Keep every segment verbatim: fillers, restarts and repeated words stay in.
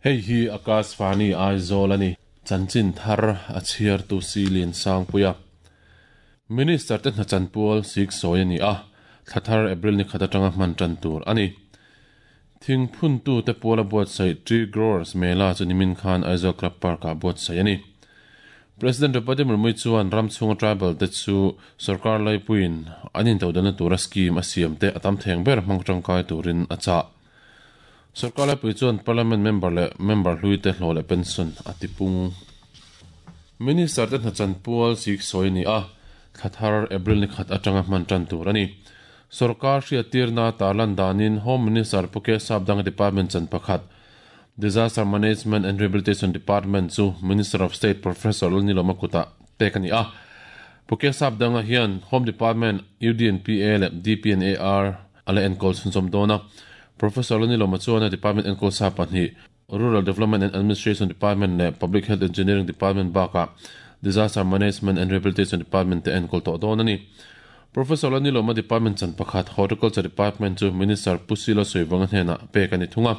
Hei hi Akashvani Aizawl ani chanchin thar a chhiar tu silin sangpuia Minister te hna chanpual sik sawi ani a thlathar April ni khat atanga hman tan tur ani thing phun tu te puala buat sai tree growers mela chu nimin khan Aizawl Club Park a buat sai ani President Draupadi Murmu chuan ramchhunga tribal te chu sarkar laipuin anin todana tura scheme a siam te atam theng ber hmang tangkai turin a cha Sarkar laipui chuan parliament member le member hlui te hlawh leh pension a tipung Minister te hna chanpual sik sawi ni a thlathar April ni khat atanga hman tan tur ani Sarkar hriatirna tarlan danin Home Minister Puke Sapdang Department chan pakhat Disaster Management and Rehabilitation Department chu Minister of State Professor Lalnilawma kuta pek ani a Puke Sapdanga hian Home Department U D N P A le D P N A R ala enkawl chhunzawm dawn a Professor Lalnilawma chuan a Department enkawl sa pahnih Rural Development and Administration Department le Public Health Engineering Department baka Disaster Management and Rehabilitation Department te enkawl tawh dawn ani Professor Lalnilawma Department chan pakhat Horticulture Department chu Minister Pusilo Soivanga hnena pek ani thunga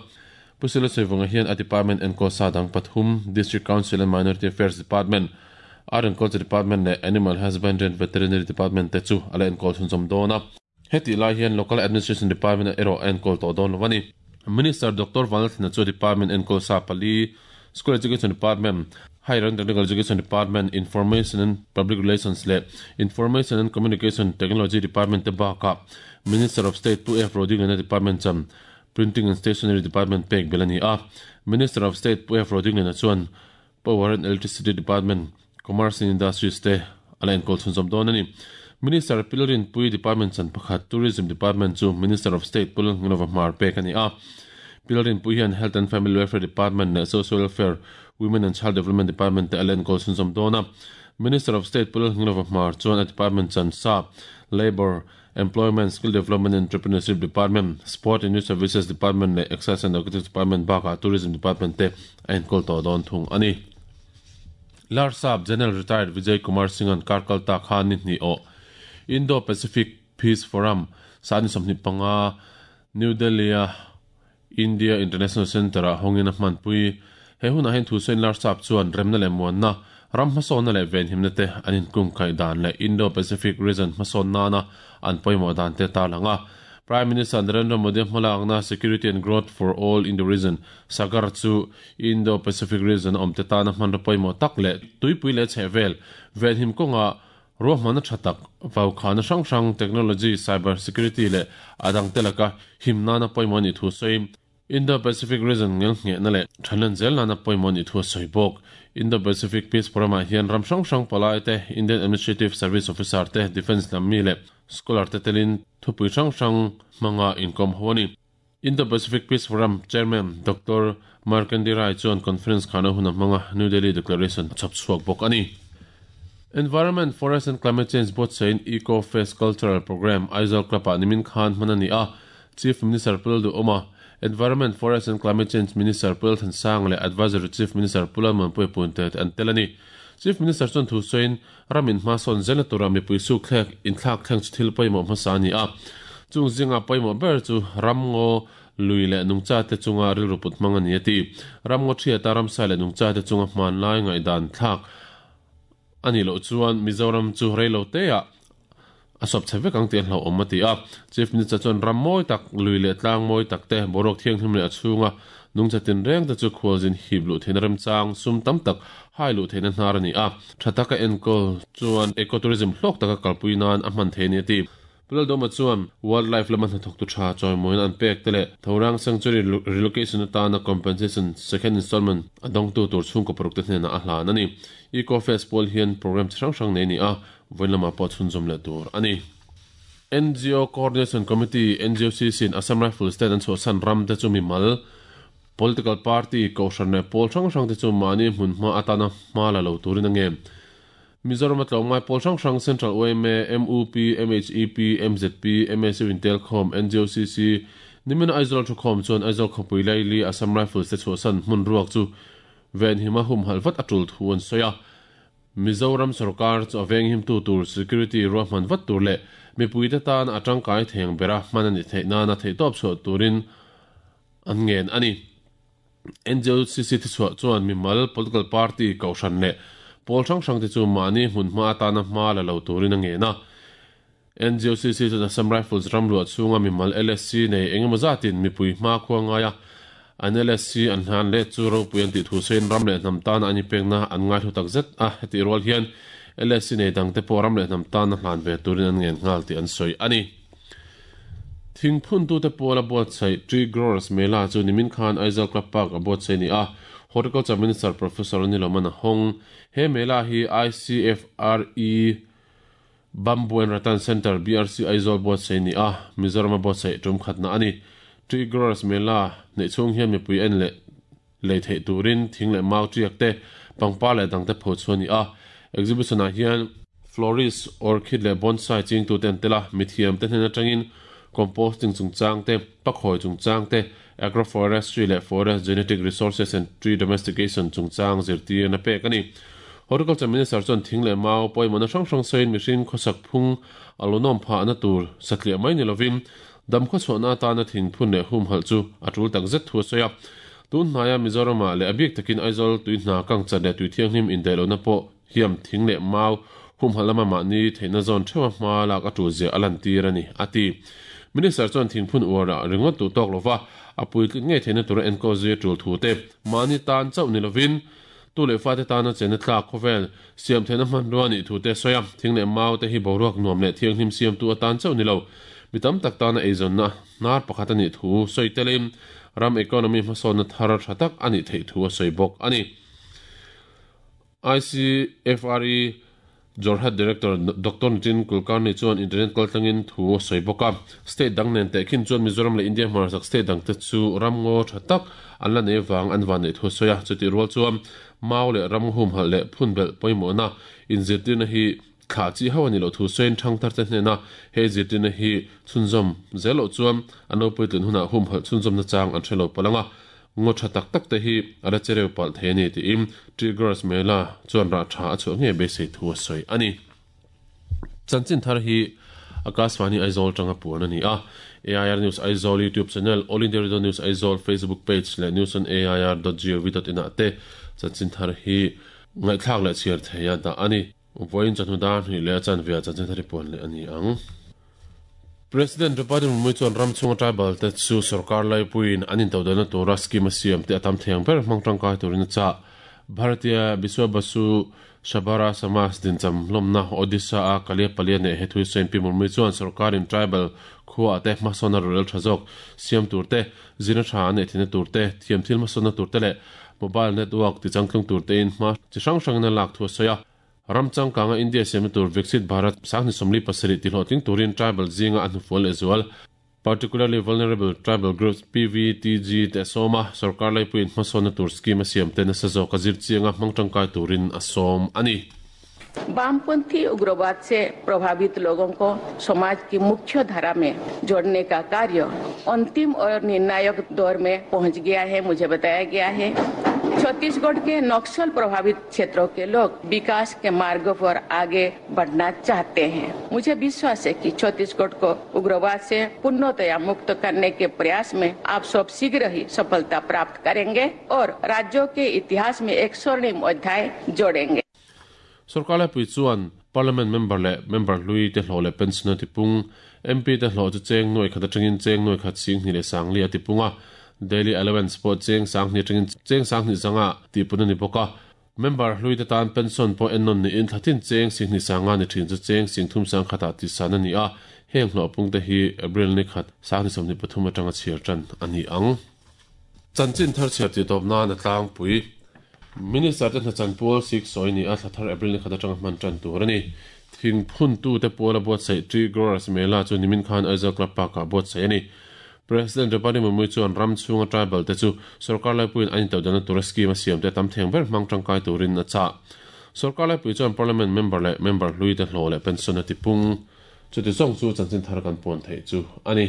Pusilo Soivanga hian a department enkawl sa dang pathum District Council and Minority Affairs Department Art and Culture Department le Animal Husbandry and Veterinary Department te chu ala enkawl chhunzawm dawn a heti lai hian Local Administration Department erawh enkawl tawh dawn lo ani Minister Doctor Vanlalthlana chu Department enkawl sa pali School Education Department Higher and Technical Education Department Information and Public Relations le Information and Communication Technology Department te baka Minister of State Pu F Rodingliana Department cham Printing and Stationery Department pek belani a Minister of State Pu F Rodingliana chuan Power and Electricity Department Commerce and Industries te ala enkawl chhunzawm dawn ani Minister Pilarin Pui Department chan pakhat Tourism Department chu Minister of State Pul Ngnova Hmar pek ani a Pilarin Pui hian Health and Family Welfare Department le Social Welfare Women and Child Development Department te ala enkawl chhunzawm dawn a Minister of State Pul Ngnova Hmar chuan a department chan sa Labor Employment Skill Development and Entrepreneurship Department Sport and Youth Services Department le Excise and Narcotics Department baka Tourism Department te a enkawl tawh dawn thung ani Larsap General Retired Vijay Kumar Singh an Karkalta khan ni hni aw Indo-Pacific Peace Forum sani sawmhnih panga New Delhi a India International Center a hawngin a hmanpui he hunah hian thu sawiin Larsap chuan remna leh muanna ram hmasawnna leh venhimna te an inkung kai dan leh Indo-Pacific region hmasawn nana an pawimawh dan te tarlang a Prime Minister Narendra Modi hmalakna Security and Growth for All in the Region Sagar chu Indo-Pacific region awm te tana hmanra pawimawh tak leh tuipui leh chhehvel venhim kawnga ruahmana thatak vaukhana hrang hrang technology cyber security le adang te laka himnana pawimawh ni thu sawi Indo-Pacific region ngel ngehna leh thanan zel nana pawimawh ni thu sawi bawk Indo-Pacific Peace Forum ah hian ram hrang hrang palai te Indian Administrative Service Officer te Defence lam mi leh scholar te telin thupui hrang hrang hmanga inkawm ho ani Indo-Pacific Peace Forum Chairman Doctor Markandi Rai chuan conference khana hun a hmanga New Delhi Declaration chhap chhuak bawk ani Environment, Forest and Climate Change Board sain Eco Fest Cultural Program Aizawl Club ah nimin khan hman ani a Chief Minister Pul Duhoma Environment, Forest and Climate Change Minister Pul Thansang le Advisory Chief Minister Pulalman Pui Punte an tel ani Chief Minister chuan thu sawiin ramin hmasawn zela tura mipui su thlek inthlak thleng chu thil pawimawh hmasa ani a chung zinga pawimawh ber chu ramngaw lui leh nungcha te chunga rilru put hmang ani ati ramngaw thiata ramsa leh nungcha te chunga hman lai ngaihdan thlak ani lo chuan Mizoram chu reilo te a a sawp chhe vek ang tih an hlauh awm a ti a Chief Minister chuan ram mawi tak lui leh tlang mawi tak te boruak thianghlim leh a chhunga nungcha tin reng te chu khualzin hip luh theihna remchang sum tam tak hai luh theihna hnar ani a tha taka enkawl chuan ecotourism hlawk taka kalpui nan a hman thei ani a ti Pulaldoma chuan wildlife lama hnathawk tu tha chawimawiin an pek te leh Thorang Sanctuary relocation atana compensation second installment a dawngtu tur chhungkaw paruk te hnenah a hlan ani Eco Fest pawl hian program chi hrang hrang nei ani a vawiin lamah pawh chhunzawm leh tur ani N G O Coordination Committee N G O C C in Assam Rifles ten an chhuahsan ram te chu mimal political party kohhran leh pawl hrang hrang te chu mahni hmun hma atana hma la lo turin a nge Mizoram a tlawmngai pawl hrang hrang Central O M A, M U P, M H E P, M Z P, M S U Intelcom, N G O C C nimina Aizawl thukhawm chuan Aizawl khawpui laili Assam Rifles te chhuahsan hmun ruak chu ven hima hum halvat atul thu an sawi a Mizoram sarkar chu aveng him tu tur security ruahman vat tur le mipuite tan atangkai theng bera hman ani theihna na thei top chu turin an ngen ani. N G O C C thi chhuah chuan mimal political party kohhran leh pawl hrang hrang te chu mahni hmun hma atana hma la lo turin a ngen a. N G O C C chuan Assam Rifles ramluah chhunga mimal L S C nei engemaw zatin mipui hma khua ngaia an L S C an hlan le chu ropui an tih thu sein ram leh hnam tan ani pekna an ngai thu tak zet a. Heti rual hian L S C nei dang te pawh ram leh hnam tan a hlan ve turin an ngen nghal tih an sawi ani. Thing phun tu te pawla buat sai Tree Growers Mela chu nimin khan Aizawl Club Park a buat sai ni a. Horticulture Minister Professor Anil Hong he mela hi I C F R E Bamboo and Rattan Center B R C Aizawl buat sai ni a. Mizoram buat sai tum khatna ani. Tree Growers Mela nei chung hian mipui en le lei thei turin thing le mau triak te pangpa le dang te pho chu ni a. Exhibition a hian florist orchid le bonsai ching tu ten tela mithiam te hnen atangin composting chungchang te pakhoi chungchang te agroforestry le forest genetic resources and tree domestication chungchang zirtir na pek ani. Horticulture Minister chuan thing le mau pawimawhna hrang hrang sawiin mihring khawsak phung alonom pha na tur satliah mai ni lovin dam khaw chhuahna atana thing phun leh hum halh chu a tul tak zet thu a sawi a. Tun hnaia Mizorama leh a bik takin Aizawl tui hna kang chat leh tui thianghlim indaihlohna pawh hiam thing leh mau hum halh lama mahni theihna zawn theuha hma lak a tul zia a lan tir ani ati. Minister chuan thing phun uara ringawt tu tawk lova a puitling ngei theihna tura enkawl zui a tul thu te mahni tan chauh ni lovin tu leh fa te tana chena thlak khawvel siam theihna hmanrua ni thu te sawi a. Thing leh mau te hi boruak nuam leh thianghlim siam tu atan chauh ni lo mitam tak tana eizawnna hnar pakhat ani thu sawi telin ram economy hmasawnna thar tha tak ani theih thu a sawi bawk ani. I C F R E Jorhat Director Doctor Nitin Kulkarni chuan internet kaltlangin thu a sawi bawk a. State dang nen te khin chuan Mizoram leh India hmarchhak state dang te chu ram ngaw tha tak an la nei wang an van nei thu sawi a. Chuti rual chuan mau leh ram hum halh leh phun belh pawimawhna inzirtirna hi thla chi ho ani lo thu sawiin thang thar te hnena he zirtirna hi chhunzawm zel loh chuan an lo puitlin hunah hum halh chhunzawmna chang an hrelo palanga ngaw tha tak tak te hi a la chereu palh thei ani tiin Tree Growers Mela chuan rah tha a chhuah nge beisei thu a sawi ani. Chanchin thar hi Akashvani Aizawl tanga puan ani a. A I R News Aizawl YouTube channel, All India Radio News Aizawl Facebook page leh news on A I R dot gov dot in ah te chanchin thar hi ngaihthlak leh chhiar theia dah ani. Voin chanhu dar hnih leh a chanve chanchin thar hi puan leh ani ang. President Draupadi Murmu chuan ram chhunga tribal te chu sarkar laipuiin an intodalna tura scheme a siam te a tam theng ber hmang tangkai turin a chah. Bharatiya Biswa Basu Shabara Samaj dincham hlawmna Odisha a Kalia Palia ne hethui sawiin Pi Murmu chuan sarkarin tribal khuwa te hmasawnna rorel tha zawk siam tur te zirna tha an nei theihna tur te thiam thil hmasawnna tur te leh mobile network ti changtlung tur te in hma chi hrang hrangin a lak thu a sawi a. Ram changkanga India siam tur Viksit Bharat sanghni sawmli pasarih ti hlawhtling turin tribal zinga a hnufual leh zual particularly vulnerable tribal groups P V T G te sawma sarkar laipuiin hmasawnna tur scheme a siam te nasa zawk a zir chianga hmang tangkai turin a sawm ani. वामपंथी उग्रवाद से प्रभावित लोगों को समाज की मुख्य धारा में जोड़ने का कार्य अंतिम और निर्णायक दौर में पहुंच गया है, मुझे बताया गया है। छत्तीसगढ़ के नक्सल प्रभावित क्षेत्रों के लोग विकास के मार्ग पर आगे बढ़ना चाहते हैं। मुझे विश्वास है कि छत्तीसगढ़ को उग्रवाद से पूर्णतया मुक्त करने के प्रयास में आप सब शीघ्र ही सफलता प्राप्त करेंगे और राज्यों के इतिहास में एक स्वर्णिम अध्याय जोड़ेंगे। Sarkar laipui chuan Parliament member leh member hlui te hlawh leh pension a tipung M P te hlawh chu cheng nuai khat atangin cheng nuai khat sing hnih leh sangli a tipunga daily allowance pawh cheng sanghnih atangin cheng sanghnih zanga tihpun ani bawk a. Member hlui te tan pension pawh ennawn niin thlatin cheng singhnih sanga ni thin chu cheng singthum sang khatah ti san ani a. Heng hlawh pung te hi April ni khat sanghnih sawmhnih pathum atanga chhiar tan ani ang. Chanchin thar chhiar ti tawp nan a tlangpui Minister te hna chanpual sik sawi ni a thlathar April ni khat atanga hman tan tur ani. Thing phun tu te pawla buatsaih Tree Growers Mela chu nimin khan Aizawl Club Park ah buatsaih ani. President Draupadi Murmu chuan ram chhunga tribal te chu sarkar laipuiin an intodalna tura scheme a siam te tam theng ber hmang tangkai turin a chah. Sarkar laipui chuan Parliament member leh member hlui te hlawh leh pension a tipung. Chuti zawng chu chanchin thar kan puan theih chu ani.